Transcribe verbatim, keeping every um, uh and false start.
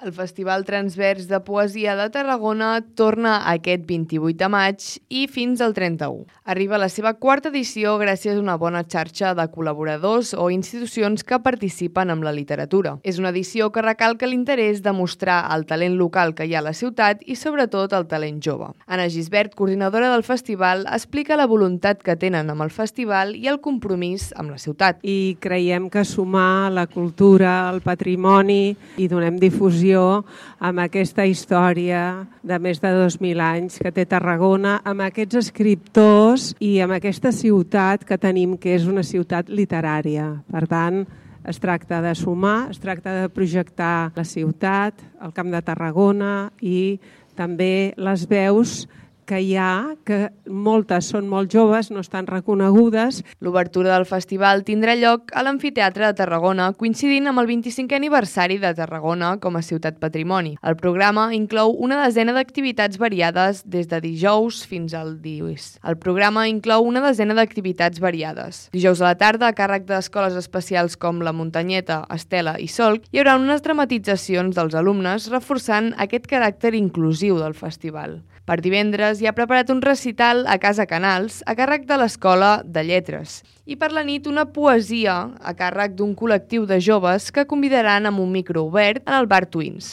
El Festival Transvers de Poesia de Tarragona torna aquest vint-i-vuit de maig i fins al trenta-u. Arriba a la seva quarta edició gràcies a una bona xarxa de col·laboradors o institucions que participen amb la literatura. És una edició que recalca l'interès de mostrar el talent local que hi ha a la ciutat i sobretot el talent jove. Anna Gisbert, coordinadora del festival, explica la voluntat que tenen amb el festival i el compromís amb la ciutat. I creiem que sumar la cultura, el patrimoni i donem difusió amb aquesta història de més de dos mil anys que té Tarragona, amb aquests escriptors i amb aquesta ciutat que tenim, que és una ciutat literària. Per tant, es tracta de sumar, es tracta de projectar la ciutat, el Camp de Tarragona i també les veus que hi ha, que moltes són molt joves, no estan reconegudes. L'obertura del festival tindrà lloc a l'Amfiteatre de Tarragona, coincidint amb el vint-i-cinquè aniversari de Tarragona com a ciutat patrimoni. El programa inclou una desena d'activitats variades des de dijous fins al dies. El programa inclou una desena d'activitats variades. Dijous a la tarda, a càrrec d'escoles especials com la Muntanyeta, Estela i Solc, hi haurà unes dramatitzacions dels alumnes reforçant aquest caràcter inclusiu del festival. Per divendres hi ha preparat un recital a Casa Canals a càrrec de l'Escola de Lletres i per la nit una poesia a càrrec d'un col·lectiu de joves que convidaran amb un micro obert en el bar Twins.